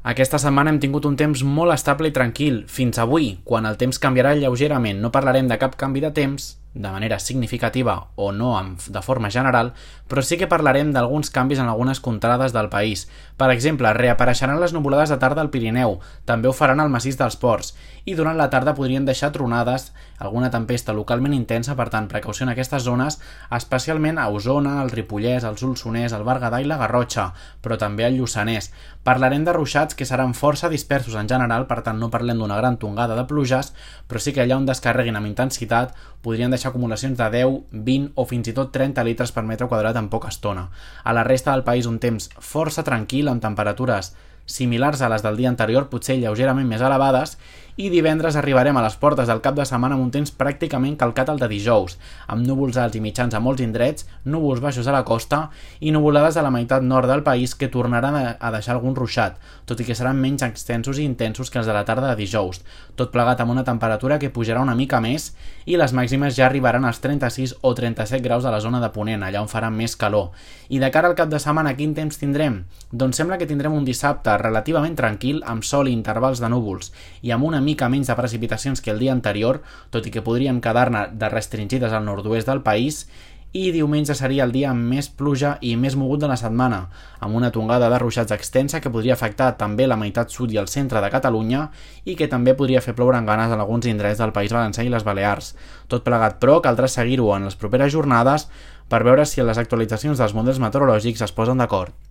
Aquesta setmana hem tingut un temps molt estable i tranquil, fins avui, quan el temps canviarà lleugerament. No parlarem de cap canvi de temps, de manera significativa o no de forma general, però sí que parlarem d'alguns canvis en algunes contrades del país. Per exemple, reapareixeran les nuvolades de tarda al Pirineu, també ho faran al massís dels Ports, i durant la tarda podrien deixar tronades, alguna tempesta localment intensa, per tant, precaució en aquestes zones, especialment a Osona, el Ripollès, el Solsonès, el Berguedà i la Garrotxa, però també al Lluçanès. Parlarem de ruixats que seran força dispersos en general, per tant no parlem d'una gran tongada de pluges, però sí que allà on descarreguin amb intensitat podrien deixar acumulacions de 10, 20 o fins i tot 30 litres per metre quadrat en poca estona. A la resta del país un temps força tranquil, amb temperatures similars a les del dia anterior, potser lleugerament més elevades, i divendres arribarem a les portes del cap de setmana amb un temps pràcticament calcat al de dijous, amb núvols alts i mitjans a molts indrets, núvols baixos a la costa i nuvolades a la meitat nord del país que tornaran a deixar algun ruixat, tot i que seran menys extensos i intensos que els de la tarda de dijous, tot plegat amb una temperatura que pujarà una mica més i les màximes ja arribaran als 36 o 37 graus a la zona de Ponent, allà on farà més calor. I de cara al cap de setmana, quin temps tindrem? Doncs sembla que tindrem un dissabte relativament tranquil, amb sol i intervals de núvols, i amb una mica menys de precipitacions que el dia anterior, tot i que podríem quedar-ne de restringides al nord-oest del país, i diumenge seria el dia amb més pluja i més mogut de la setmana, amb una tongada de ruixats extensa que podria afectar també la meitat sud i el centre de Catalunya i que també podria fer ploure en ganes en alguns indrets del País Valencià i les Balears. Tot plegat, però, caldrà seguir-ho en les properes jornades per veure si les actualitzacions dels models meteorològics es posen d'acord.